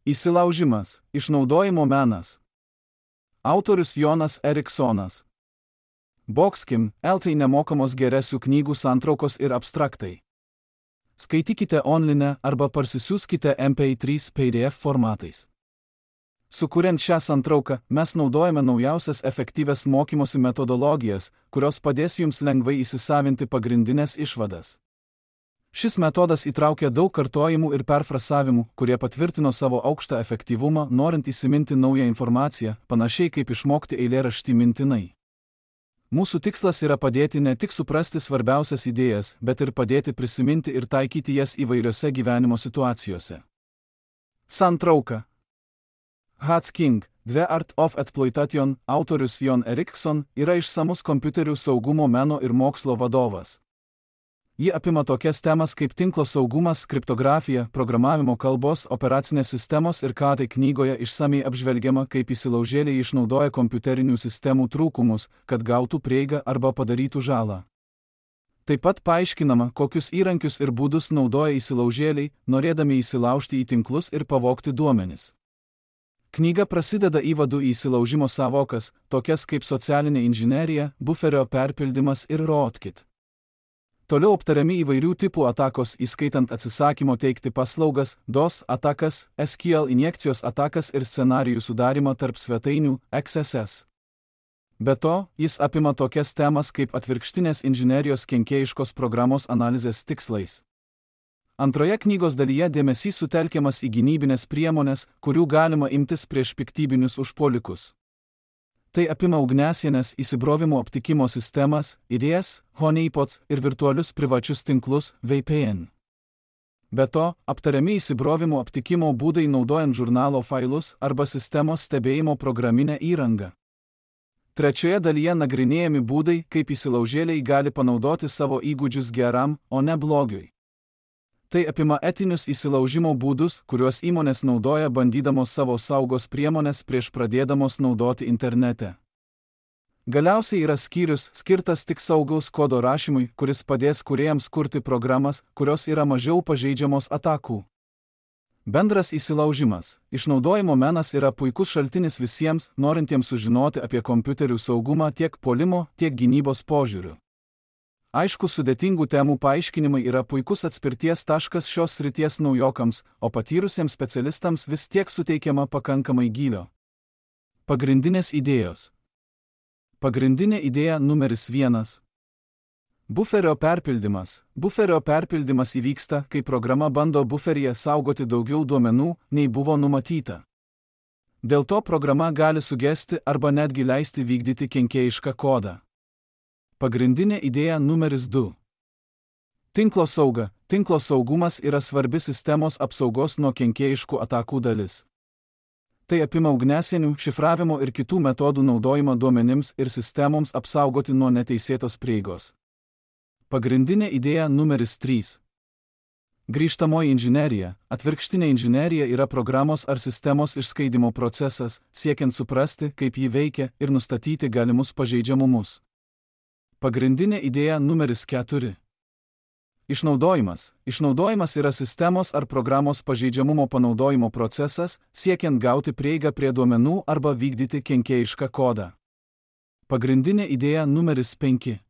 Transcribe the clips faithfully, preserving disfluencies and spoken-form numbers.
Įsilaužimas – išnaudojimo menas. Autorius Jonas Eriksonas. Boxkim, eltai nemokamos geresių knygų santraukos ir abstraktai. Skaitykite online arba parsisiųskite M P trys P D F formatais. Sukuriant šią santrauką, mes naudojame naujausias efektyvias mokymosi metodologijas, kurios padės jums lengvai įsisavinti pagrindinės išvadas. Šis metodas įtraukia daug kartojimų ir perfrasavimų, kurie patvirtino savo aukštą efektyvumą, norint įsiminti naują informaciją, panašiai kaip išmokti eilėraštį mintinai. Mūsų tikslas yra padėti ne tik suprasti svarbiausias idėjas, bet ir padėti prisiminti ir taikyti jas įvairiose gyvenimo situacijose. Santrauka. Hacking, The Art of Exploitation, autorius Jon Erikson, yra išsamus kompiuterių saugumo meno ir mokslo vadovas. Ji apima tokias temas kaip tinklo saugumas, kriptografija, programavimo kalbos, operacinės sistemos ir ką tai knygoje išsamiai apžvelgiama, kaip įsilaužėliai išnaudoja kompiuterinių sistemų trūkumus, kad gautų prieigą arba padarytų žalą. Taip pat paaiškinama, kokius įrankius ir būdus naudoja įsilaužėliai, norėdami įsilaužti į tinklus ir pavogti duomenis. Knyga prasideda įvadu į įsilaužimo sąvokas, tokias kaip socialinė inžinerija, buferio perpildymas ir rootkit. Toliau aptariami įvairių tipų atakos, įskaitant atsisakymo teikti paslaugas, DOS atakas, S Q L injekcijos atakas ir scenarijų sudarimą tarp svetainių, X S S. Be to, jis apima tokias temas kaip atvirkštinės inžinerijos kenkėjiškos programos analizės tikslais. Antroje knygos dalyje dėmesys sutelkiamas į gynybinės priemonės, kurių galima imtis prieš piktybinius užpuolikus. Tai apima ugniasienės, įsibrovimo aptikimo sistemas, I D S, honeypots ir virtualius privačius tinklus, V P N. Be to, aptariami įsibrovimo aptikimo būdai naudojant žurnalo failus arba sistemos stebėjimo programinę įrangą. Trečioje dalyje nagrinėjami būdai, kaip įsilaužėliai gali panaudoti savo įgūdžius geram, o ne blogiui. Tai apima etinius įsilaužimo būdus, kuriuos įmonės naudoja bandydamos savo saugos priemonės prieš pradėdamos naudoti internete. Galiausiai yra skyrius, skirtas tik saugaus kodo rašymui, kuris padės kūrėjams kurti programas, kurios yra mažiau pažeidžiamos atakų. Bendras įsilaužimas. Išnaudojimo menas yra puikus šaltinis visiems, norintiems sužinoti apie kompiuterių saugumą tiek puolimo, tiek gynybos požiūriu. Aišku, sudėtingų temų paaiškinimai yra puikus atspirties taškas šios srities naujokams, o patyrusiems specialistams vis tiek suteikiama pakankamai gylio. Pagrindinės idėjos. Pagrindinė idėja numeris vienas. Buferio perpildymas. Buferio perpildymas įvyksta, kai programa bando buferyje saugoti daugiau duomenų, nei buvo numatyta. Dėl to programa gali sugesti arba netgi leisti vykdyti kenkėjišką kodą. Pagrindinė idėja numeris du. Tinklo sauga. Tinklo saugumas yra svarbi sistemos apsaugos nuo kenkėjiškų atakų dalis. Tai apima ugniasienių, šifravimo ir kitų metodų naudojimą duomenims ir sistemoms apsaugoti nuo neteisėtos prieigos. Pagrindinė idėja numeris trys. Grįžtamoji inžinerija. Atvirkštinė inžinerija yra programos ar sistemos išskaidimo procesas, siekiant suprasti, kaip ji veikia ir nustatyti galimus pažeidžiamumus. Pagrindinė idėja numeris keturi. Išnaudojimas. Išnaudojimas yra sistemos ar programos pažeidžiamumo panaudojimo procesas, siekiant gauti prieigą prie duomenų arba vykdyti kenkėjišką kodą. Pagrindinė idėja numeris penki.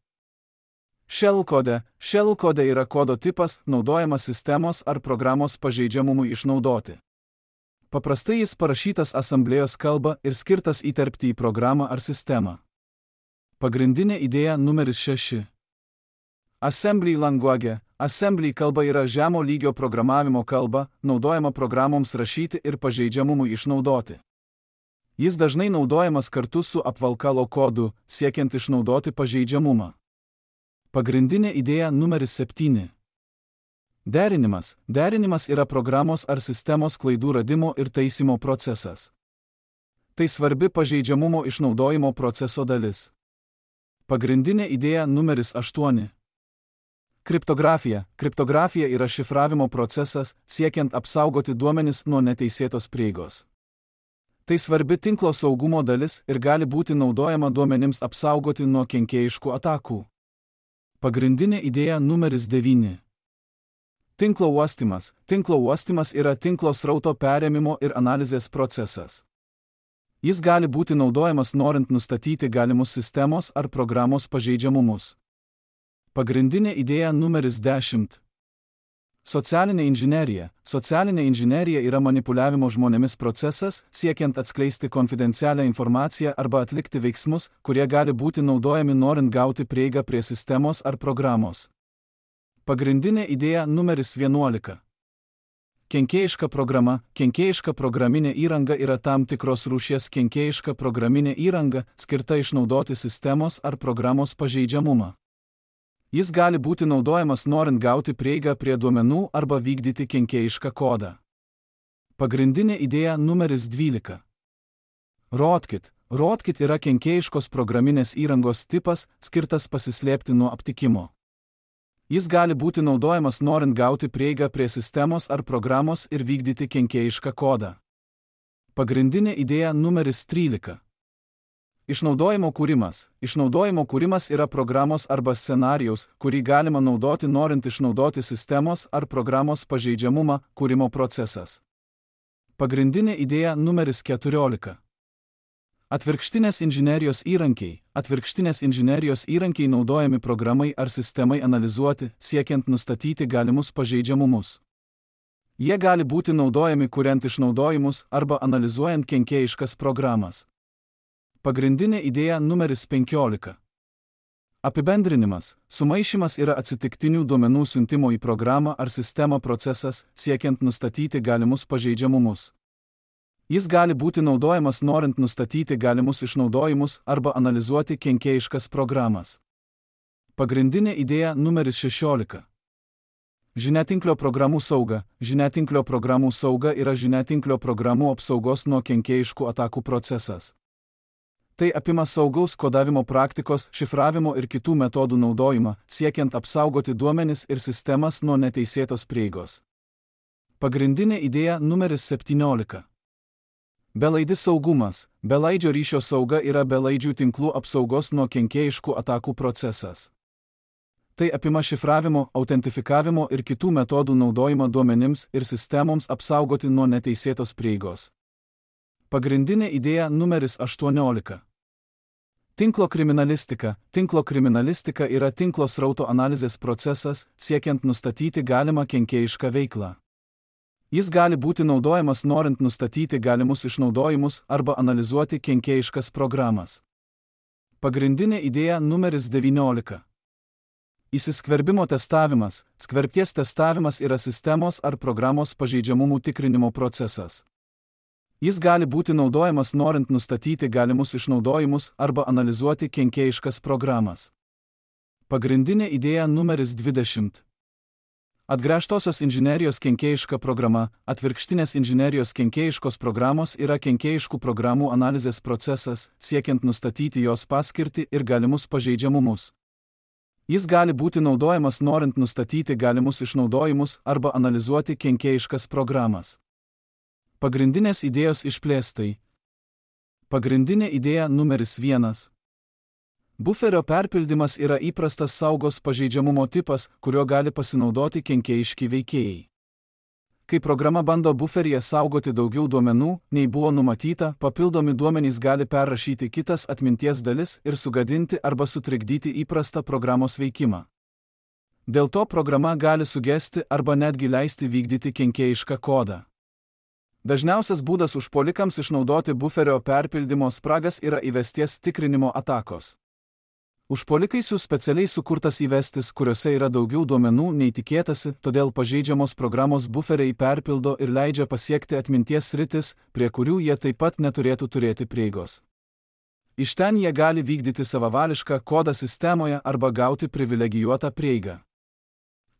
Shell kode. Shell kode yra kodo tipas, naudojamas sistemos ar programos pažeidžiamumui išnaudoti. Paprastai jis parašytas asamblėjos kalba ir skirtas įterpti į programą ar sistemą. Pagrindinė idėja numeris šeši. Assembly language. Assembly kalba yra žemo lygio programavimo kalba, naudojama programoms rašyti ir pažeidžiamumui išnaudoti. Jis dažnai naudojamas kartu su apvalkalo kodu, siekiant išnaudoti pažeidžiamumą. Pagrindinė idėja numeris septyni. Derinimas. Derinimas yra programos ar sistemos klaidų radimo ir taisymo procesas. Tai svarbi pažeidžiamumo išnaudojimo proceso dalis. Pagrindinė idėja numeris aštuoni. Kriptografija. Kriptografija yra šifravimo procesas, siekiant apsaugoti duomenis nuo neteisėtos prieigos. Tai svarbi tinklo saugumo dalis ir gali būti naudojama duomenims apsaugoti nuo kenkėjiškų atakų. Pagrindinė idėja numeris devyni. Tinklo uostymas. Tinklo uostymas yra tinklo srauto perėmimo ir analizės procesas. Jis gali būti naudojamas norint nustatyti galimus sistemos ar programos pažeidžiamumus. Pagrindinė idėja numeris dešimt. Socialinė inžinerija. Socialinė inžinerija yra manipuliavimo žmonėmis procesas, siekiant atskleisti konfidencialią informaciją arba atlikti veiksmus, kurie gali būti naudojami norint gauti prieigą prie sistemos ar programos. Pagrindinė idėja numeris vienuolika. Kenkėjiška programa. Kenkėjiška programinė įranga yra tam tikros rūšies kenkėjiška programinė įranga, skirta išnaudoti sistemos ar programos pažeidžiamumą. Jis gali būti naudojamas norint gauti prieigą prie duomenų arba vykdyti kenkėjišką kodą. Pagrindinė idėja numeris dvylika. Rootkit. Rootkit yra kenkėjiškos programinės įrangos tipas, skirtas pasislėpti nuo aptikimo. Jis gali būti naudojamas norint gauti prieigą prie sistemos ar programos ir vykdyti kenkėjišką kodą. Pagrindinė idėja numeris trylika. Išnaudojimo kūrimas. Išnaudojimo kūrimas yra programos arba scenarijaus, kurį galima naudoti norint išnaudoti sistemos ar programos pažeidžiamumą, kūrimo procesas. Pagrindinė idėja numeris keturiolika. Atvirkštinės inžinerijos įrankiai. Atvirkštinės inžinerijos įrankiai naudojami programai ar sistemai analizuoti, siekiant nustatyti galimus pažeidžiamumus. Jie gali būti naudojami kuriant išnaudojimus arba analizuojant kenkėjiškas programas. Pagrindinė idėja numeris penkiolika. Apibendrinimas. Sumaišymas yra atsitiktinių duomenų siuntimo į programą ar sistemą procesas, siekiant nustatyti galimus pažeidžiamumus. Jis gali būti naudojamas norint nustatyti galimus išnaudojimus arba analizuoti kenkėjiškas programas. Pagrindinė idėja numeris šešiolika. Žiniatinklio programų sauga. Žiniatinklio programų sauga yra žiniatinklio programų apsaugos nuo kenkėjiškų atakų procesas. Tai apima saugaus kodavimo praktikos, šifravimo ir kitų metodų naudojimą, siekiant apsaugoti duomenis ir sistemas nuo neteisėtos prieigos. Pagrindinė idėja numeris septyniolika. Belaidis saugumas. Belaidžio ryšio sauga yra belaidžių tinklų apsaugos nuo kenkėjiškų atakų procesas. Tai apima šifravimo, autentifikavimo ir kitų metodų naudojimą duomenims ir sistemoms apsaugoti nuo neteisėtos prieigos. Pagrindinė idėja numeris aštuoniolika. Tinklo kriminalistika. Tinklo kriminalistika yra tinklo srauto analizės procesas, siekiant nustatyti galimą kenkėjišką veiklą. Jis gali būti naudojamas norint nustatyti galimus išnaudojimus arba analizuoti kenkėjiškas programas. Pagrindinė idėja numeris devyniolika. Įsiskverbimo testavimas. Skverbties testavimas yra sistemos ar programos pažeidžiamumų tikrinimo procesas. Jis gali būti naudojamas norint nustatyti galimus išnaudojimus arba analizuoti kenkėjiškas programas. Pagrindinė idėja numeris dvidešimt. Atgręžtosios inžinerijos kenkėjiška programa. Atvirkštinės inžinerijos kenkėjiškos programos yra kenkėjiškų programų analizės procesas, siekiant nustatyti jos paskirtį ir galimus pažeidžiamumus. Jis gali būti naudojamas norint nustatyti galimus išnaudojimus arba analizuoti kenkėjiškas programas. Pagrindinės idėjos išplėstai. Pagrindinė idėja numeris vienas. Buferio perpildymas yra įprastas saugos pažeidžiamumo tipas, kurio gali pasinaudoti kenkėjiški veikėjai. Kai programa bando buferyje saugoti daugiau duomenų, nei buvo numatyta, papildomi duomenys gali perrašyti kitas atminties dalis ir sugadinti arba sutrikdyti įprastą programos veikimą. Dėl to programa gali sugesti arba netgi leisti vykdyti kenkėjišką kodą. Dažniausias būdas užpuolikams išnaudoti buferio perpildymo spragas yra įvesties tikrinimo atakos. Užpuolikai siūs specialiai sukurtas įvestis, kuriuose yra daugiau duomenų nei tikėtasi, todėl pažeidžiamos programos buferiai perpildo ir leidžia pasiekti atminties sritis, prie kurių jie taip pat neturėtų turėti prieigos. Iš ten jie gali vykdyti savavališką kodą sistemoje arba gauti privilegijuotą prieigą.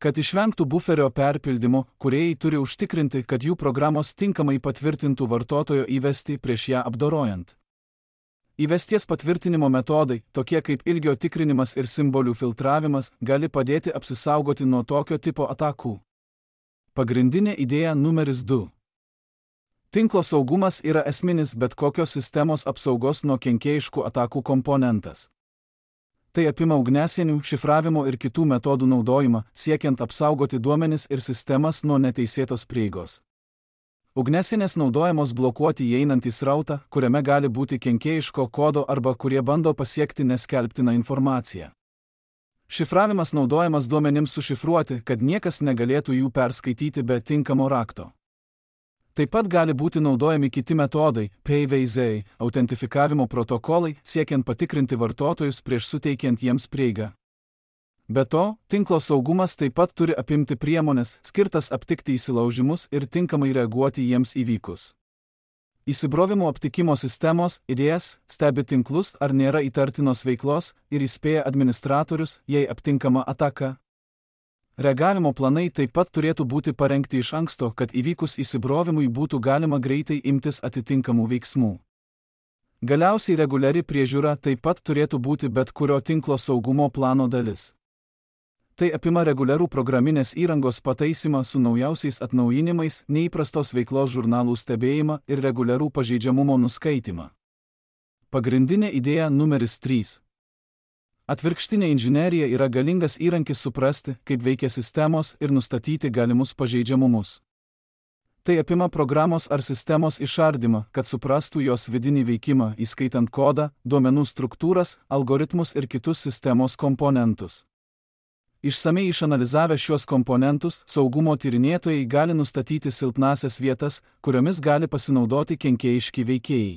Kad išvengtų buferio perpildymo, kūrėjai turi užtikrinti, kad jų programos tinkamai patvirtintų vartotojo įvestį prieš ją apdorojant. Įvesties patvirtinimo metodai, tokie kaip ilgio tikrinimas ir simbolių filtravimas, gali padėti apsisaugoti nuo tokio tipo atakų. Pagrindinė idėja numeris du. Tinklo saugumas yra esminis bet kokios sistemos apsaugos nuo kenkėjiškų atakų komponentas. Tai apima ugniasienių, šifravimo ir kitų metodų naudojimą, siekiant apsaugoti duomenis ir sistemas nuo neteisėtos prieigos. Ugniasienės naudojamos blokuoti įeinantį srautą, kuriame gali būti kenkėjiško kodo arba kurie bando pasiekti neskelbtiną informaciją. Šifravimas naudojamas duomenims sušifruoti, kad niekas negalėtų jų perskaityti be tinkamo rakto. Taip pat gali būti naudojami kiti metodai, P V Z, autentifikavimo protokolai, siekiant patikrinti vartotojus prieš suteikiant jiems prieigą. Be to, tinklo saugumas taip pat turi apimti priemonės, skirtas aptikti įsilaužimus ir tinkamai reaguoti jiems įvykus. Įsibrovimo aptikimo sistemos, I D S, stebi tinklus, ar nėra įtartinos veiklos ir įspėja administratorius, jei aptinkama ataka. Reagavimo planai taip pat turėtų būti parengti iš anksto, kad įvykus įsibrovimui būtų galima greitai imtis atitinkamų veiksmų. Galiausiai reguliari priežiūra taip pat turėtų būti bet kurio tinklo saugumo plano dalis. Tai apima reguliarų programinės įrangos pataisymą su naujausiais atnaujinimais, neįprastos veiklos žurnalų stebėjimą ir reguliarų pažeidžiamumo nuskaitimą. Pagrindinė idėja numeris trys. Atvirkštinė inžinerija yra galingas įrankis suprasti, kaip veikia sistemos ir nustatyti galimus pažeidžiamumus. Tai apima programos ar sistemos išardymą, kad suprastų jos vidinį veikimą, įskaitant kodą, duomenų struktūras, algoritmus ir kitus sistemos komponentus. Išsamei išanalizavę šiuos komponentus, saugumo tyrinėtojai gali nustatyti silpnasias vietas, kuriomis gali pasinaudoti kenkėjiški veikėjai.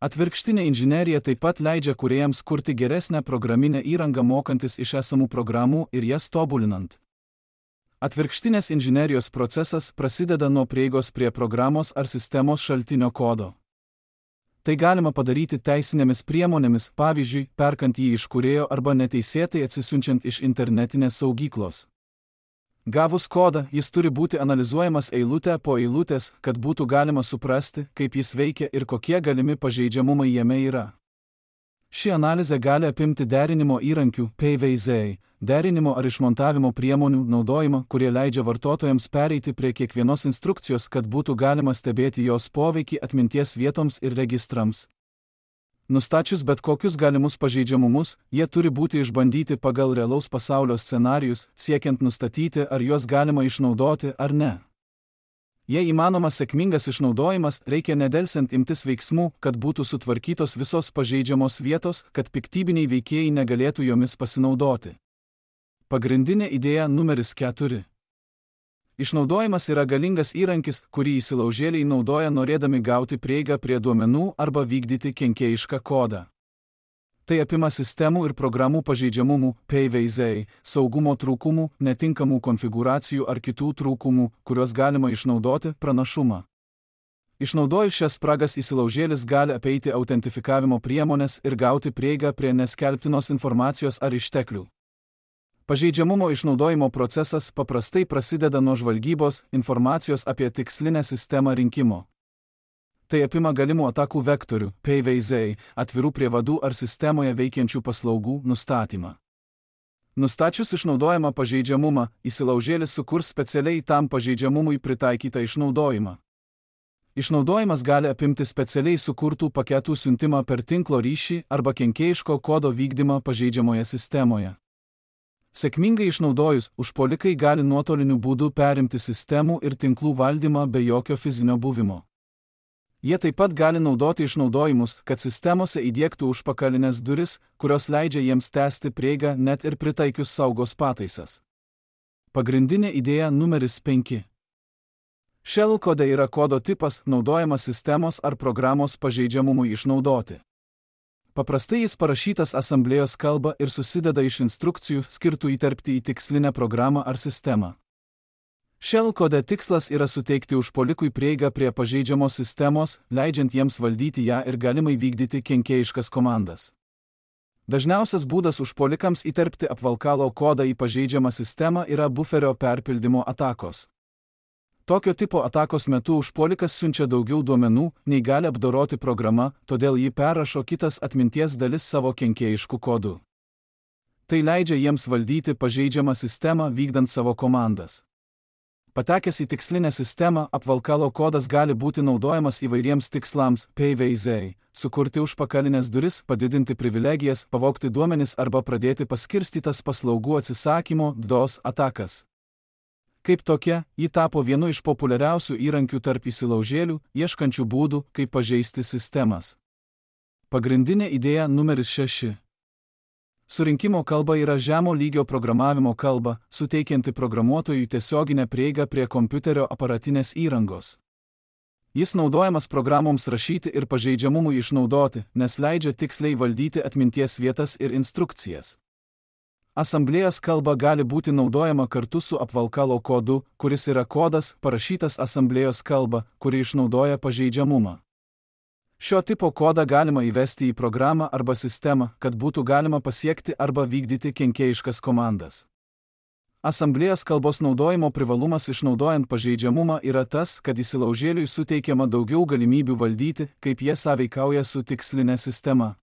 Atvirkštinė inžinerija taip pat leidžia kūrėjams kurti geresnę programinę įrangą mokantis iš esamų programų ir jas tobulinant. Atvirkštinės inžinerijos procesas prasideda nuo prieigos prie programos ar sistemos šaltinio kodo. Tai galima padaryti teisinėmis priemonėmis, pavyzdžiui, perkant jį iš kūrėjo arba neteisėtai atsisiunčiant iš internetinės saugyklos. Gavus kodą, jis turi būti analizuojamas eilutę po eilutės, kad būtų galima suprasti, kaip jis veikia ir kokie galimi pažeidžiamumai jame yra. Ši analizė gali apimti derinimo įrankių, P V Z, derinimo ar išmontavimo priemonių naudojimą, kurie leidžia vartotojams pereiti prie kiekvienos instrukcijos, kad būtų galima stebėti jos poveikį atminties vietoms ir registrams. Nustačius bet kokius galimus pažeidžiamumus, jie turi būti išbandyti pagal realaus pasaulio scenarijus, siekiant nustatyti, ar juos galima išnaudoti ar ne. Jei įmanomas sėkmingas išnaudojimas, reikia nedelsiant imtis veiksmų, kad būtų sutvarkytos visos pažeidžiamos vietos, kad piktybiniai veikėjai negalėtų jomis pasinaudoti. Pagrindinė idėja numeris keturi. Išnaudojimas yra galingas įrankis, kurį įsilaužėliai naudoja norėdami gauti prieigą prie duomenų arba vykdyti kenkėjišką kodą. Tai apima sistemų ir programų pažeidžiamumų, P V Z, saugumo trūkumų, netinkamų konfigūracijų ar kitų trūkumų, kuriuos galima išnaudoti, pranašumą. Išnaudojus šias spragas įsilaužėlis gali apeiti autentifikavimo priemonės ir gauti prieigą prie neskelbtinos informacijos ar išteklių. Pažeidžiamumo išnaudojimo procesas paprastai prasideda nuo žvalgybos, informacijos apie tikslinę sistemą rinkimo. Tai apima galimų atakų vektorių, P V Z, atvirų prievadų ar sistemoje veikiančių paslaugų nustatymą. Nustačius išnaudojamą pažeidžiamumą, įsilaužėlis sukurs specialiai tam pažeidžiamumui pritaikytą išnaudojimą. Išnaudojimas gali apimti specialiai sukurtų paketų siuntimą per tinklo ryšį arba kenkėjiško kodo vykdymą pažeidžiamoje sistemoje. Sėkmingai išnaudojus, užpuolikai gali nuotoliniu būdu perimti sistemų ir tinklų valdymą be jokio fizinio buvimo. Jie taip pat gali naudoti išnaudojimus, kad sistemose įdiegtų užpakalinės duris, kurios leidžia jiems tęsti prieigą net ir pritaikius saugos pataisas. Pagrindinė idėja numeris penki. Shell kode yra kodo tipas, naudojamas sistemos ar programos pažeidžiamumui išnaudoti. Paprastai jis parašytas asamblėjos kalba ir susideda iš instrukcijų skirtų įterpti į tikslinę programą ar sistemą. Shell kode tikslas yra suteikti užpuolikui prieigą prie pažeidžiamos sistemos, leidžiant jiems valdyti ją ir galimai vykdyti kenkėjiškas komandas. Dažniausias būdas užpuolikams įterpti apvalkalo kodą į pažeidžiamą sistemą yra buferio perpildymo atakos. Tokio tipo atakos metu užpuolikas siunčia daugiau duomenų, nei gali apdoroti programa, todėl jį perrašo kitas atminties dalis savo kenkėjiškų kodų. Tai leidžia jiems valdyti pažeidžiamą sistemą vykdant savo komandas. Patekęs į tikslinę sistemą, apvalkalo kodas gali būti naudojamas įvairiems tikslams P V Z, sukurti užpakalinės duris, padidinti privilegijas, pavogti duomenis arba pradėti paskirstytas paslaugų atsisakymo DDoS atakas. Kaip tokia, ji tapo vienu iš populiariausių įrankių tarp įsilaužėlių, ieškančių būdų, kaip pažeisti sistemas. Pagrindinė idėja numeris šeši. Surinkimo kalba yra žemo lygio programavimo kalba, suteikianti programuotojui tiesioginę prieigą prie kompiuterio aparatinės įrangos. Jis naudojamas programoms rašyti ir pažeidžiamumui išnaudoti, nes leidžia tiksliai valdyti atminties vietas ir instrukcijas. Asamblėjos kalba gali būti naudojama kartu su apvalkalo kodu, kuris yra kodas, parašytas asamblėjos kalba, kuri išnaudoja pažeidžiamumą. Šio tipo kodą galima įvesti į programą arba sistemą, kad būtų galima pasiekti arba vykdyti kenkėjiškas komandas. Asamblėjos kalbos naudojimo privalumas išnaudojant pažeidžiamumą yra tas, kad įsilaužėliui suteikiama daugiau galimybių valdyti, kaip jie sąveikauja su tikslinė sistema.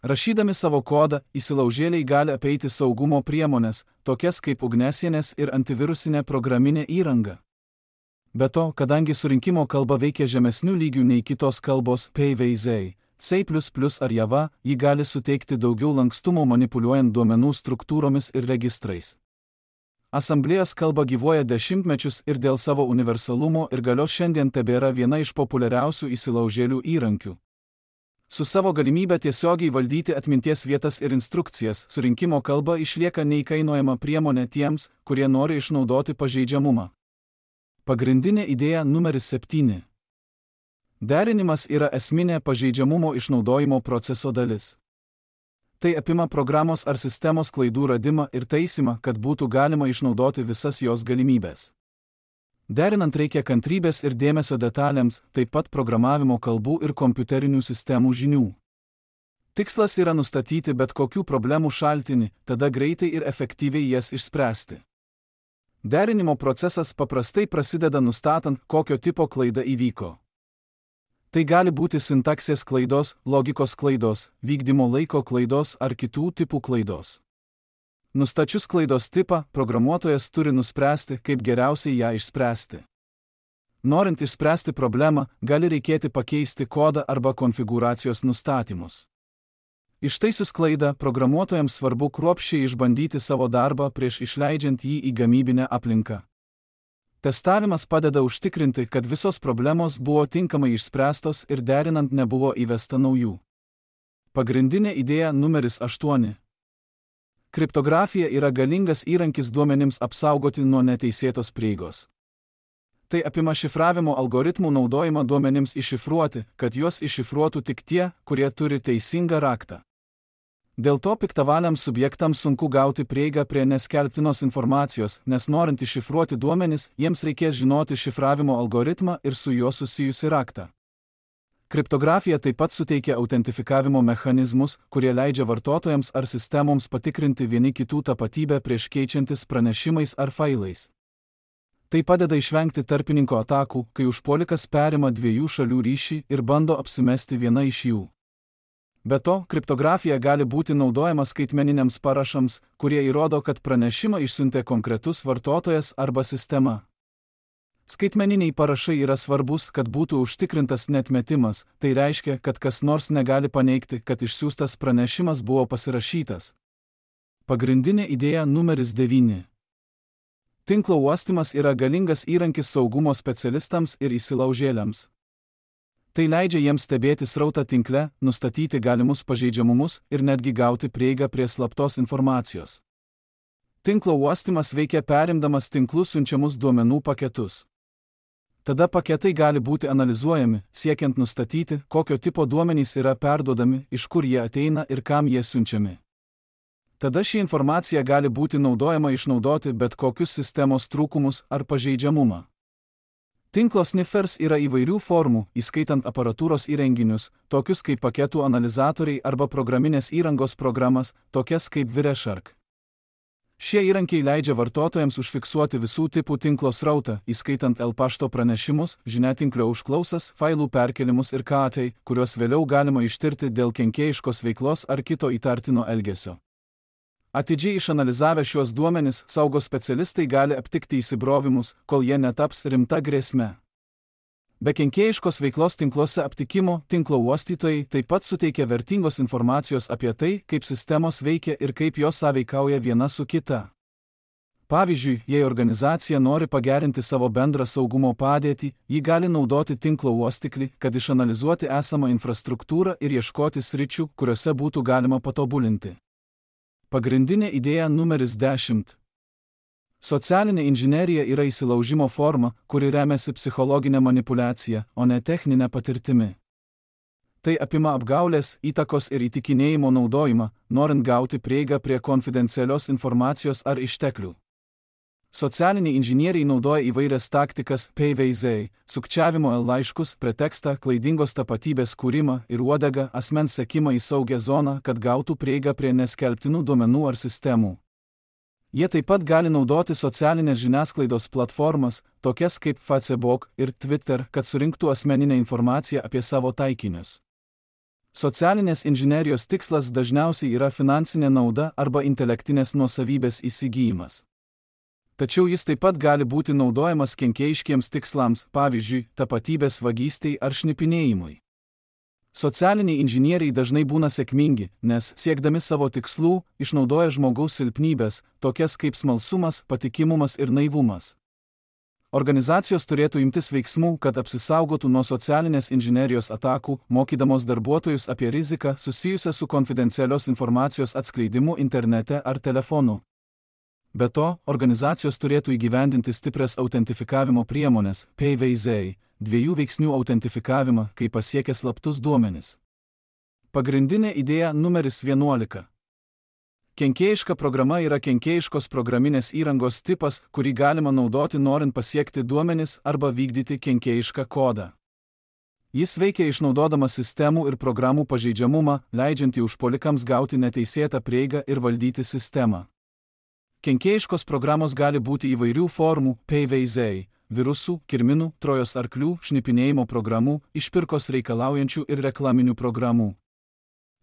Rašydami savo kodą, įsilaužėliai gali apeiti saugumo priemonės, tokias kaip ugnesienės ir antivirusinė programinė įranga. Be to, kadangi surinkimo kalba veikia žemesnių lygių nei kitos kalbos P V Z, C plus plus ar Java, ji gali suteikti daugiau lankstumo manipuliuojant duomenų struktūromis ir registrais. Asamblėjos kalba gyvuoja dešimtmečius ir dėl savo universalumo ir galios šiandien tebėra viena iš populiariausių įsilaužėlių įrankių. Su savo galimybę tiesiogiai valdyti atminties vietas ir instrukcijas, surinkimo kalba išlieka neįkainojama priemonė tiems, kurie nori išnaudoti pažeidžiamumą. Pagrindinė idėja numeris septyni. Derinimas yra esminė pažeidžiamumo išnaudojimo proceso dalis. Tai apima programos ar sistemos klaidų radimą ir taisymą, kad būtų galima išnaudoti visas jos galimybės. Derinant reikia kantrybės ir dėmesio detalėms, taip pat programavimo kalbų ir kompiuterinių sistemų žinių. Tikslas yra nustatyti bet kokių problemų šaltinį, tada greitai ir efektyviai jas išspręsti. Derinimo procesas paprastai prasideda nustatant, kokio tipo klaida įvyko. Tai gali būti sintaksės klaidos, logikos klaidos, vykdymo laiko klaidos ar kitų tipų klaidos. Nustačius klaidos tipą, programuotojas turi nuspręsti, kaip geriausiai ją išspręsti. Norint išspręsti problemą, gali reikėti pakeisti kodą arba konfigūracijos nustatymus. Ištaisius klaidą, programuotojams svarbu kruopščiai išbandyti savo darbą prieš išleidžiant jį į gamybinę aplinką. Testavimas padeda užtikrinti, kad visos problemos buvo tinkamai išspręstos ir derinant nebuvo įvesta naujų. Pagrindinė idėja numeris aštuoni. Kriptografija yra galingas įrankis duomenims apsaugoti nuo neteisėtos prieigos. Tai apima šifravimo algoritmų naudojimą duomenims iššifruoti, kad juos iššifruotų tik tie, kurie turi teisingą raktą. Dėl to piktavaliams subjektams sunku gauti prieigą prie neskelbtinos informacijos, nes norint iššifruoti duomenis, jiems reikės žinoti šifravimo algoritmą ir su juo susijusi raktą. Kriptografija taip pat suteikia autentifikavimo mechanizmus, kurie leidžia vartotojams ar sistemoms patikrinti vieni kitų tapatybę prieš keičiantis pranešimais ar failais. Tai padeda išvengti tarpininko atakų, kai užpuolikas perima dviejų šalių ryšį ir bando apsimesti viena iš jų. Be to, kriptografija gali būti naudojama skaitmeniniams parašams, kurie įrodo, kad pranešimą išsiuntė konkretus vartotojas arba sistema. Skaitmeniniai parašai yra svarbus, kad būtų užtikrintas neatmetimas, tai reiškia, kad kas nors negali paneigti, kad išsiųstas pranešimas buvo pasirašytas. Pagrindinė idėja numeris devyni. Tinklo uostymas yra galingas įrankis saugumo specialistams ir įsilaužėliams. Tai leidžia jiems stebėti srautą tinkle, nustatyti galimus pažeidžiamumus ir netgi gauti prieigą prie slaptos informacijos. Tinklo uostymas veikia perimdamas tinklų siunčiamus duomenų paketus. Tada paketai gali būti analizuojami, siekiant nustatyti, kokio tipo duomenys yra perduodami, iš kur jie ateina ir kam jie siunčiami. Tada ši informacija gali būti naudojama išnaudoti bet kokius sistemos trūkumus ar pažeidžiamumą. Tinklo sniffers yra įvairių formų, įskaitant aparatūros įrenginius, tokius kaip paketų analizatoriai arba programinės įrangos programas, tokias kaip Wireshark. Šie įrankiai leidžia vartotojams užfiksuoti visų tipų tinklo srautą, įskaitant L-pašto pranešimus, žiniatinklio užklausas, failų perkelimus ir K A T, kuriuos vėliau galima ištirti dėl kenkėjiškos veiklos ar kito įtartino elgesio. Atidžiai išanalizavę šiuos duomenis, saugos specialistai gali aptikti įsibrovimus, kol jie netaps rimta grėsme. Be kenkėjiškos veiklos tinkluose aptikimo, tinklo uostytojai taip pat suteikia vertingos informacijos apie tai, kaip sistemos veikia ir kaip jos sąveikauja viena su kita. Pavyzdžiui, jei organizacija nori pagerinti savo bendrą saugumo padėtį, ji gali naudoti tinklo uostiklį, kad išanalizuoti esamą infrastruktūrą ir ieškoti sričių, kuriuose būtų galima patobulinti. Pagrindinė idėja numeris dešimt. Socialinė inžinerija yra įsilaužimo forma, kuri remiasi psichologinė manipuliacija, o ne techninė patirtimi. Tai apima apgaulės, įtakos ir įtikinėjimo naudojimą, norint gauti prieigą prie konfidencialios informacijos ar išteklių. Socialiniai inžinieriai naudoja įvairias taktikas, P V Z, sukčiavimo laiškus, pretekstą, klaidingos tapatybės kūrimą ir uodegą, asmens sekimą į saugią zoną, kad gautų prieigą prie neskelbtinų duomenų ar sistemų. Jie taip pat gali naudoti socialinės žiniasklaidos platformas, tokias kaip Facebook ir Twitter, kad surinktų asmeninę informaciją apie savo taikinius. Socialinės inžinerijos tikslas dažniausiai yra finansinė nauda arba intelektinės nuosavybės įsigijimas. Tačiau jis taip pat gali būti naudojamas kenkėjiškiems tikslams, pavyzdžiui, tapatybės vagystei ar šnipinėjimui. Socialiniai inžinieriai dažnai būna sėkmingi, nes, siekdami savo tikslų, išnaudoja žmogaus silpnybės, tokias kaip smalsumas, patikimumas ir naivumas. Organizacijos turėtų imtis veiksmų, kad apsisaugotų nuo socialinės inžinerijos atakų, mokydamos darbuotojus apie riziką susijusią su konfidencialios informacijos atskleidimu internete ar telefonu. Be to, organizacijos turėtų įgyvendinti stiprias autentifikavimo priemones, P V Z, dviejų veiksnių autentifikavimą, kai pasiekia slaptus duomenis. Pagrindinė idėja numeris vienuolika. Kenkėjiška programa yra kenkėjiškos programinės įrangos tipas, kurį galima naudoti norint pasiekti duomenis arba vykdyti kenkėjišką kodą. Jis veikia išnaudodamas sistemų ir programų pažeidžiamumą, leidžiantį užpuolikams gauti neteisėtą prieigą ir valdyti sistemą. Kenkėjiškos programos gali būti įvairių formų, P V Z, virusų, kirminų, trojos arklių, šnipinėjimo programų, išpirkos reikalaujančių ir reklaminių programų.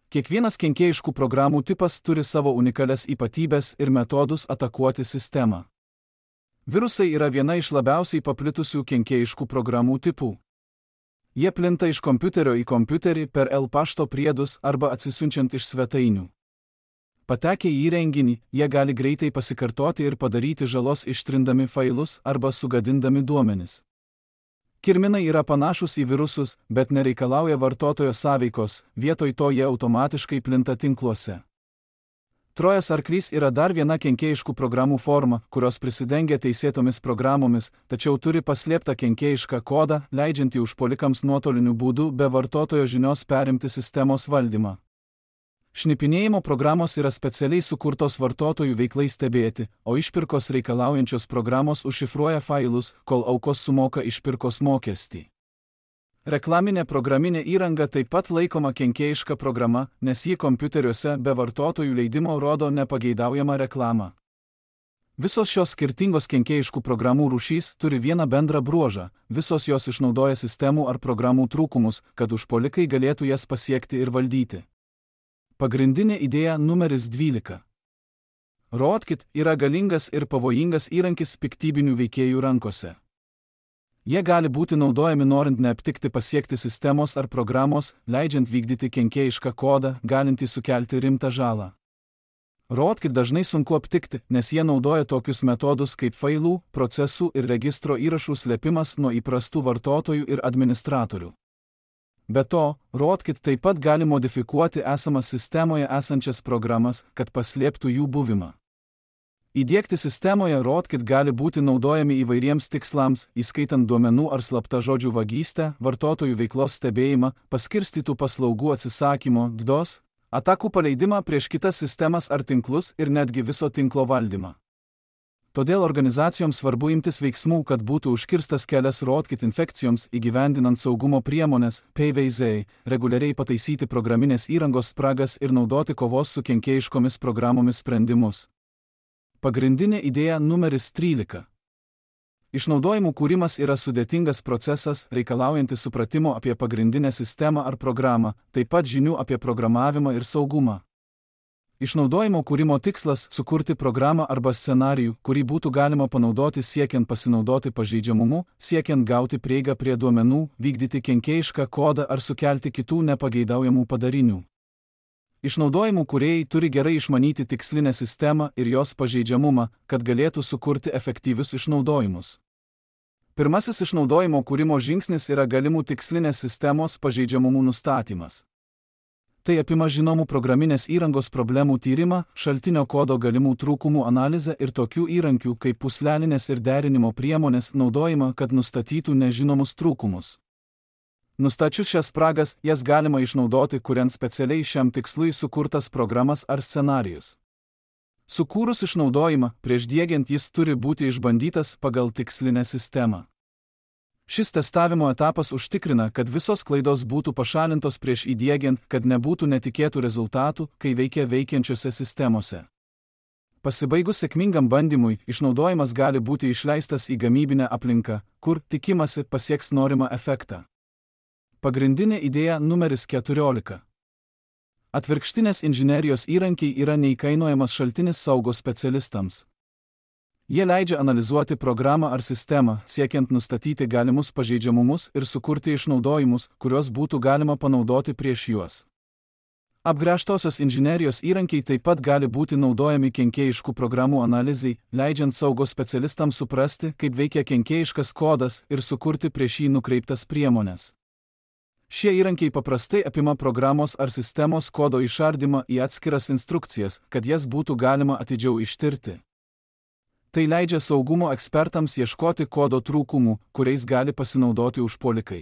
Kiekvienas kenkėjiškų programų tipas turi savo unikalias ypatybės ir metodus atakuoti sistemą. Virusai yra viena iš labiausiai paplitusių kenkėjiškų programų tipų. Jie plinta iš kompiuterio į kompiuterį per L pašto priedus arba atsisiunčiant iš svetainių. Patekę į įrenginį, jie gali greitai pasikartoti ir padaryti žalos ištrindami failus arba sugadindami duomenis. Kirminai yra panašus į virusus, bet nereikalauja vartotojo sąveikos, vietoj to jie automatiškai plinta tinkluose. Trojos arklys yra dar viena kenkėjiškų programų forma, kurios prisidengia teisėtomis programomis, tačiau turi paslėptą kenkėjišką kodą, leidžiantį užpuolikams nuotoliniu būdu be vartotojo žinios perimti sistemos valdymą. Šnipinėjimo programos yra specialiai sukurtos vartotojų veiklai stebėti, o išpirkos reikalaujančios programos užšifruoja failus, kol aukos sumoka išpirkos mokestį. Reklaminė programinė įranga taip pat laikoma kenkėjiška programa, nes ji kompiuteriuose be vartotojų leidimo rodo nepageidaujamą reklamą. Visos šios skirtingos kenkėjiškų programų rūšys turi vieną bendrą bruožą, visos jos išnaudoja sistemų ar programų trūkumus, kad užpuolikai galėtų jas pasiekti ir valdyti. Pagrindinė idėja numeris dvylika. Rootkit yra galingas ir pavojingas įrankis piktybinių veikėjų rankose. Jie gali būti naudojami norint neaptikti pasiekti sistemos ar programos, leidžiant vykdyti kenkėjišką kodą, galintį sukelti rimtą žalą. Rootkit dažnai sunku aptikti, nes jie naudoja tokius metodus kaip failų, procesų ir registro įrašų slėpimas nuo įprastų vartotojų ir administratorių. Be to, Rootkit taip pat gali modifikuoti esamas sistemoje esančias programas, kad paslėptų jų buvimą. Įdiegti sistemoje Rootkit gali būti naudojami įvairiems tikslams, įskaitant duomenų ar slaptažodžių vagystę, vartotojų veiklos stebėjimą, paskirstytų paslaugų atsisakymo, D DoS, atakų paleidimą prieš kitas sistemas ar tinklus ir netgi viso tinklo valdymą. Todėl organizacijoms svarbu imtis veiksmų, kad būtų užkirstas kelias Rootkit infekcijoms įgyvendinant saugumo priemones, P V Z, reguliariai pataisyti programinės įrangos spragas ir naudoti kovos su kenkėjiškomis programomis sprendimus. Pagrindinė idėja numeris trylika. Išnaudojimų kūrimas yra sudėtingas procesas, reikalaujantis supratimo apie pagrindinę sistemą ar programą, taip pat žinių apie programavimą ir saugumą. Išnaudojimo kūrimo tikslas – sukurti programą arba scenarijų, kurį būtų galima panaudoti siekiant pasinaudoti pažeidžiamumu, siekiant gauti prieigą prie duomenų, vykdyti kenkėjišką kodą ar sukelti kitų nepageidaujamų padarinių. Išnaudojimų kūrėjai turi gerai išmanyti tikslinę sistemą ir jos pažeidžiamumą, kad galėtų sukurti efektyvius išnaudojimus. Pirmasis išnaudojimo kūrimo žingsnis yra galimų tikslinės sistemos pažeidžiamumų nustatymas. Tai apima žinomų programinės įrangos problemų tyrimą, šaltinio kodo galimų trūkumų analizę ir tokių įrankių kaip pūslelinės ir derinimo priemonės naudojimą, kad nustatytų nežinomus trūkumus. Nustačius šias spragas, jas galima išnaudoti, kuriant specialiai šiam tikslui sukurtas programas ar scenarijus. Sukūrus išnaudojimą, prieš diegiant jis turi būti išbandytas pagal tikslinę sistemą. Šis testavimo etapas užtikrina, kad visos klaidos būtų pašalintos prieš įdiegiant, kad nebūtų netikėtų rezultatų, kai veikia veikiančiose sistemose. Pasibaigus sėkmingam bandymui, išnaudojimas gali būti išleistas į gamybinę aplinką, kur, tikimasi, pasieks norimą efektą. Pagrindinė idėja numeris keturiolika. Atvirkštinės inžinerijos įrankiai yra neįkainojamas šaltinis saugos specialistams. Jie leidžia analizuoti programą ar sistemą, siekiant nustatyti galimus pažeidžiamumus ir sukurti išnaudojimus, kuriuos būtų galima panaudoti prieš juos. Apgręžtosios inžinerijos įrankiai taip pat gali būti naudojami kenkėjiškų programų analizei, leidžiant saugos specialistams suprasti, kaip veikia kenkėjiškas kodas ir sukurti prieš jį nukreiptas priemones. Šie įrankiai paprastai apima programos ar sistemos kodo išardymą į atskiras instrukcijas, kad jas būtų galima atidžiau ištirti. Tai leidžia saugumo ekspertams ieškoti kodo trūkumų, kuriais gali pasinaudoti užpuolikai.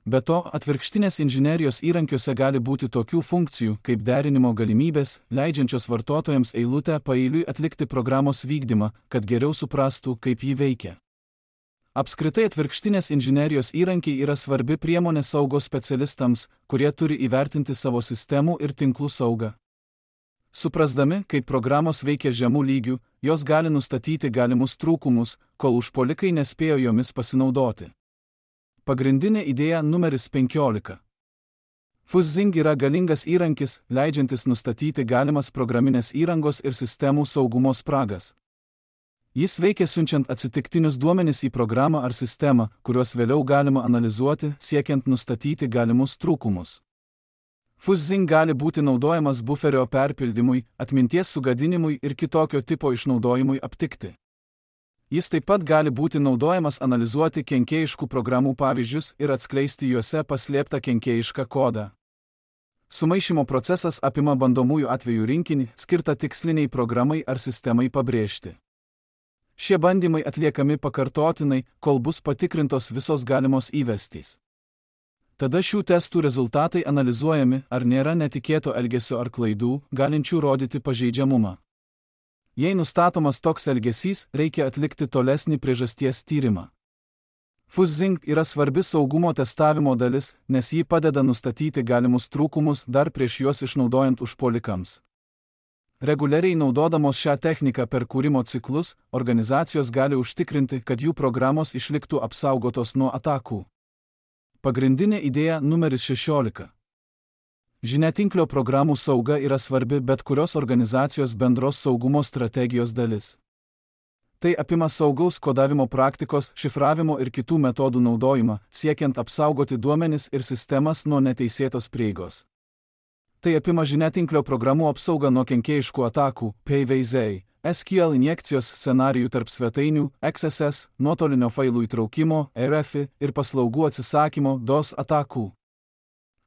Be to, atvirkštinės inžinerijos įrankiuose gali būti tokių funkcijų, kaip derinimo galimybės, leidžiančios vartotojams eilutę paeiliui atlikti programos vykdymą, kad geriau suprastų, kaip ji veikia. Apskritai atvirkštinės inžinerijos įrankiai yra svarbi priemonė saugos specialistams, kurie turi įvertinti savo sistemų ir tinklų saugą. Suprasdami, kaip programos veikia žemų lygių, jos gali nustatyti galimus trūkumus, kol užpuolikai nespėjo jomis pasinaudoti. Pagrindinė idėja numeris penkiolika. Fuzzing yra galingas įrankis, leidžiantis nustatyti galimas programinės įrangos ir sistemų saugumo spragas. Jis veikia siunčiant atsitiktinius duomenis į programą ar sistemą, kuriuos vėliau galima analizuoti, siekiant nustatyti galimus trūkumus. Fuzzing gali būti naudojamas buferio perpildymui, atminties sugadinimui ir kitokio tipo išnaudojimui aptikti. Jis taip pat gali būti naudojamas analizuoti kenkėjiškų programų pavyzdžius ir atskleisti juose paslėptą kenkėjišką kodą. Sumaišymo procesas apima bandomųjų atvejų rinkinį, skirtą tiksliniai programai ar sistemai pabrėžti. Šie bandymai atliekami pakartotinai, kol bus patikrintos visos galimos įvestys. Tada šių testų rezultatai analizuojami, ar nėra netikėto elgesio ar klaidų, galinčių rodyti pažeidžiamumą. Jei nustatomas toks elgesys, reikia atlikti tolesnį priežasties tyrimą. Fuzzing yra svarbi saugumo testavimo dalis, nes ji padeda nustatyti galimus trūkumus dar prieš juos išnaudojant užpuolikams. Reguliariai naudodamos šią techniką per kūrimo ciklus, organizacijos gali užtikrinti, kad jų programos išliktų apsaugotos nuo atakų. Pagrindinė idėja numeris šešiolika. Žiniatinklio programų sauga yra svarbi bet kurios organizacijos bendros saugumo strategijos dalis. Tai apima saugaus kodavimo praktikos, šifravimo ir kitų metodų naudojimą, siekiant apsaugoti duomenis ir sistemas nuo neteisėtos prieigos. Tai apima žiniatinklio programų apsaugą nuo kenkėjiškų atakų, P V Z, S Q L injekcijos scenarijų tarp svetainių, X S S, nuotolinio failų įtraukimo, R F I ir paslaugų atsisakymo, D O S atakų.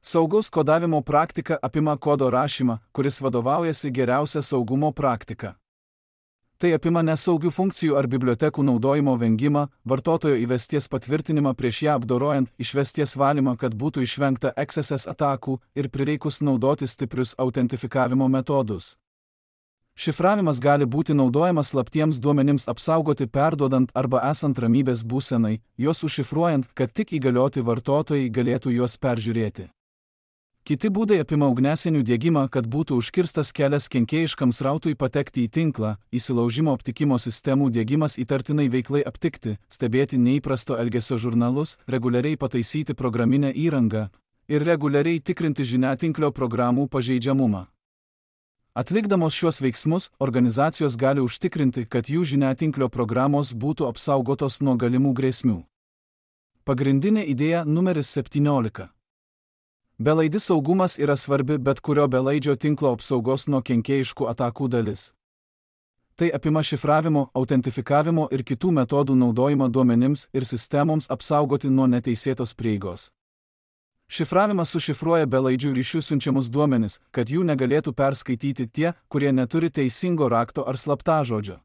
Saugaus kodavimo praktika apima kodo rašymą, kuris vadovaujasi geriausia saugumo praktika. Tai apima nesaugių funkcijų ar bibliotekų naudojimo vengimą, vartotojo įvesties patvirtinimą prieš ją apdorojant, išvesties valymą, kad būtų išvengta X S S atakų ir prireikus naudoti stiprius autentifikavimo metodus. Šifravimas gali būti naudojamas slaptiems duomenims apsaugoti perduodant arba esant ramybės būsenai, juos užšifruojant, kad tik įgalioti vartotojai galėtų juos peržiūrėti. Kiti būdai apima ugniasienių diegimą, kad būtų užkirstas kelias kenkėjiškam srautui patekti į tinklą, įsilaužimo aptikimo sistemų diegimas įtartinai veiklai aptikti, stebėti neįprasto elgesio žurnalus, reguliariai pataisyti programinę įrangą ir reguliariai tikrinti žiniatinklio programų pažeidžiamumą. Atlikdamos šiuos veiksmus, organizacijos gali užtikrinti, kad jų žiniatinklio programos būtų apsaugotos nuo galimų grėsmių. Pagrindinė idėja numeris septyniolika. Belaidis saugumas yra svarbi bet kurio belaidžio tinklo apsaugos nuo kenkėjiškų atakų dalis. Tai apima šifravimo, autentifikavimo ir kitų metodų naudojimą duomenims ir sistemoms apsaugoti nuo neteisėtos prieigos. Šifravimas sušifruoja belaidžių ryšių siunčiamus duomenis, kad jų negalėtų perskaityti tie, kurie neturi teisingo rakto ar slaptažodžio.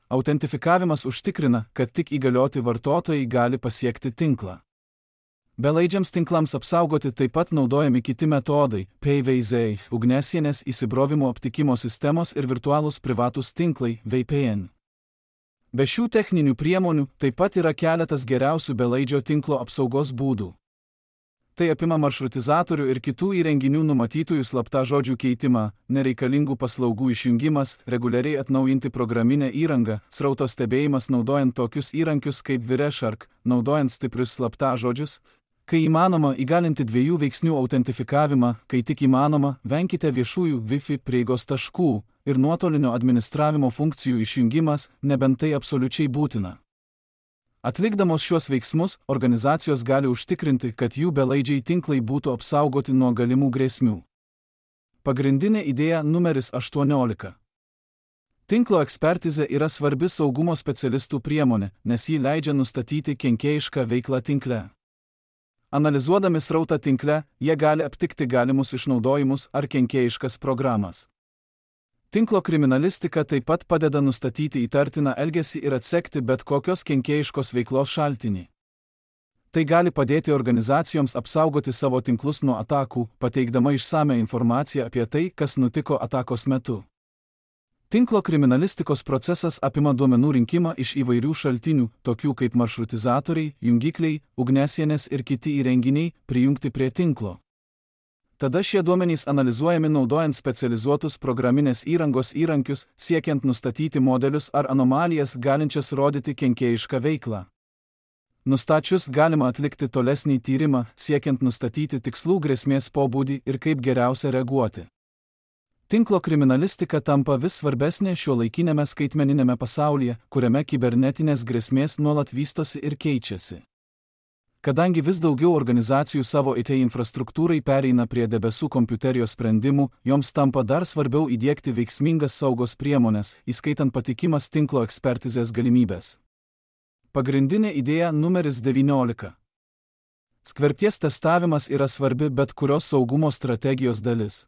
Autentifikavimas užtikrina, kad tik įgalioti vartotojai gali pasiekti tinklą. Belaidžiams tinklams apsaugoti taip pat naudojami kiti metodai – P V Z, ugniasienės įsibrovimo aptikimo sistemos ir virtualūs privatūs tinklai – V P N. Be šių techninių priemonių taip pat yra keletas geriausių belaidžio tinklo apsaugos būdų. Tai apima maršrutizatorių ir kitų įrenginių numatytųjų slaptažodžių keitimą, nereikalingų paslaugų išjungimas, reguliariai atnaujinti programinę įrangą, srauto stebėjimas naudojant tokius įrankius kaip Wireshark, naudojant stiprius slaptažodžius. Kai įmanoma, įgalinti dviejų veiksnių autentifikavimą, kai tik įmanoma, venkite viešųjų Wi-Fi prieigos taškų ir nuotolinio administravimo funkcijų išjungimas, nebent tai absoliučiai būtina. Atlikdamos šiuos veiksmus, organizacijos gali užtikrinti, kad jų belaidžiai tinklai būtų apsaugoti nuo galimų grėsmių. Pagrindinė idėja numeris aštuoniolika. Tinklo ekspertizė yra svarbi saugumo specialistų priemonė, nes ji leidžia nustatyti kenkėjišką veiklą tinkle. Analizuodami srautą tinkle, jie gali aptikti galimus išnaudojimus ar kenkėjiškas programas. Tinklo kriminalistika taip pat padeda nustatyti įtartiną elgesį ir atsekti bet kokios kenkėjiškos veiklos šaltinį. Tai gali padėti organizacijoms apsaugoti savo tinklus nuo atakų, pateikdama išsamią informaciją apie tai, kas nutiko atakos metu. Tinklo kriminalistikos procesas apima duomenų rinkimą iš įvairių šaltinių, tokių kaip maršrutizatoriai, jungikliai, ugniasienės ir kiti įrenginiai, prijungti prie tinklo. Tada šie duomenys analizuojami naudojant specializuotus programinės įrangos įrankius, siekiant nustatyti modelius ar anomalijas galinčias rodyti kenkėjišką veiklą. Nustačius galima atlikti tolesnį tyrimą, siekiant nustatyti tikslų grėsmės pobūdį ir kaip geriausia reaguoti. Tinklo kriminalistika tampa vis svarbesnė šiuolaikinėme skaitmeniniame pasaulyje, kuriame kibernetinės grėsmės nuolat vystosi ir keičiasi. Kadangi vis daugiau organizacijų savo I T infrastruktūrai pereina prie debesų kompiuterijos sprendimų, joms tampa dar svarbiau įdiegti veiksmingas saugos priemonės, įskaitant patikimas tinklo ekspertizės galimybės. Pagrindinė idėja numeris devyniolika. Skverbties testavimas yra svarbi bet kurios saugumo strategijos dalis.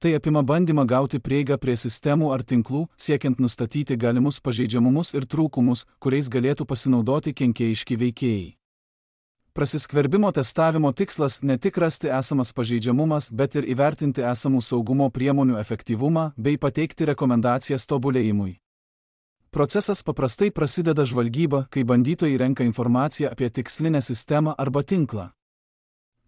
Tai apima bandymą gauti prieigą prie sistemų ar tinklų, siekiant nustatyti galimus pažeidžiamumus ir trūkumus, kuriais galėtų pasinaudoti kenkėjiški veikėjai. Prasiskverbimo testavimo tikslas ne tik rasti esamas pažeidžiamumas, bet ir įvertinti esamų saugumo priemonių efektyvumą bei pateikti rekomendacijas tobulėjimui. Procesas paprastai prasideda žvalgyba, kai bandytojai renka informaciją apie tikslinę sistemą arba tinklą.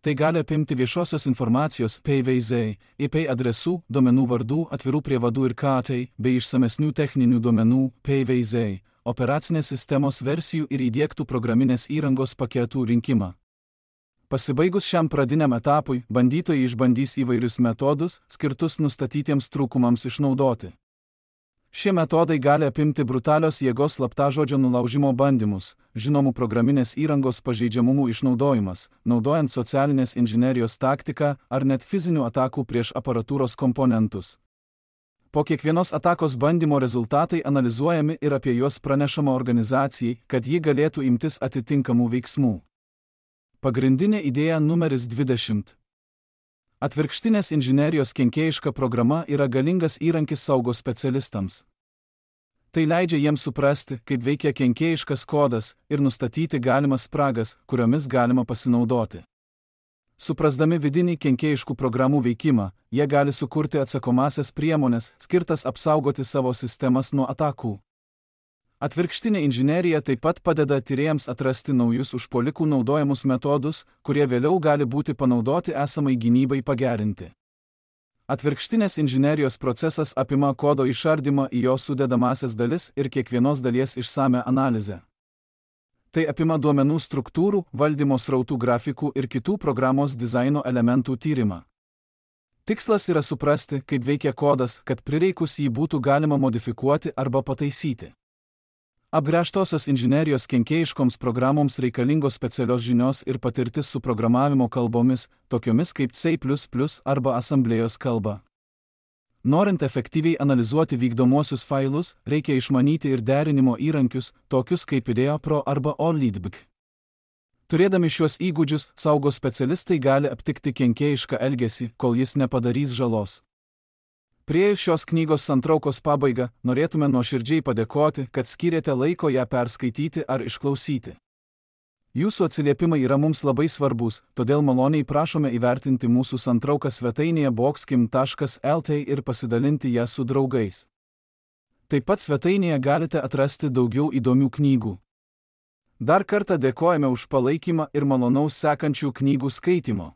Tai gali apimti viešosios informacijos P V Z, I P adresų, duomenų vardų, atvirų prievadų ir K T, bei išsamesnių techninių duomenų P V Z, operacinės sistemos versijų ir įdiegtų programinės įrangos paketų rinkimą. Pasibaigus šiam pradiniam etapui, bandytojai išbandys įvairius metodus, skirtus nustatytiems trūkumams išnaudoti. Šie metodai gali apimti brutalios jėgos slaptažodžio nulaužimo bandymus, žinomų programinės įrangos pažeidžiamumų išnaudojimas, naudojant socialinės inžinerijos taktiką ar net fizinių atakų prieš aparatūros komponentus. Po kiekvienos atakos bandymo rezultatai analizuojami ir apie juos pranešama organizacijai, kad ji galėtų imtis atitinkamų veiksmų. Pagrindinė idėja numeris dvidešimt. Atvirkštinės inžinerijos kenkėjiška programa yra galingas įrankis saugos specialistams. Tai leidžia jiems suprasti, kaip veikia kenkėjiškas kodas ir nustatyti galimas spragas, kuriomis galima pasinaudoti. Suprasdami vidinį kenkėjiškų programų veikimą, jie gali sukurti atsakomasias priemones, skirtas apsaugoti savo sistemas nuo atakų. Atvirkštinė inžinerija taip pat padeda tyrėjams atrasti naujus užpuolikų naudojamus metodus, kurie vėliau gali būti panaudoti esamai gynybai pagerinti. Atvirkštinės inžinerijos procesas apima kodo išardymą į jo sudedamąsias dalis ir kiekvienos dalies išsamią analizę. Tai apima duomenų struktūrų, valdymo srautų grafikų ir kitų programos dizaino elementų tyrimą. Tikslas yra suprasti, kaip veikia kodas, kad prireikus jį būtų galima modifikuoti arba pataisyti. Apgręžtosios inžinerijos kenkėjiškoms programoms reikalingos specialios žinios ir patirtis su programavimo kalbomis, tokiomis kaip C plus plus arba asamblėjos kalba. Norint efektyviai analizuoti vykdomuosius failus, reikia išmanyti ir derinimo įrankius, tokius kaip IdeaPro arba OLidBg. Turėdami šiuos įgūdžius, saugos specialistai gali aptikti kenkėjišką elgesį, kol jis nepadarys žalos. Priėjus šios knygos santraukos pabaigą, norėtume nuoširdžiai padėkoti, kad skyrėte laiko ją perskaityti ar išklausyti. Jūsų atsiliepimai yra mums labai svarbus, todėl maloniai prašome įvertinti mūsų santrauką svetainėje boxkim taškas lt ir pasidalinti ją su draugais. Taip pat svetainėje galite atrasti daugiau įdomių knygų. Dar kartą dėkojame už palaikymą ir malonaus sekančių knygų skaitimo.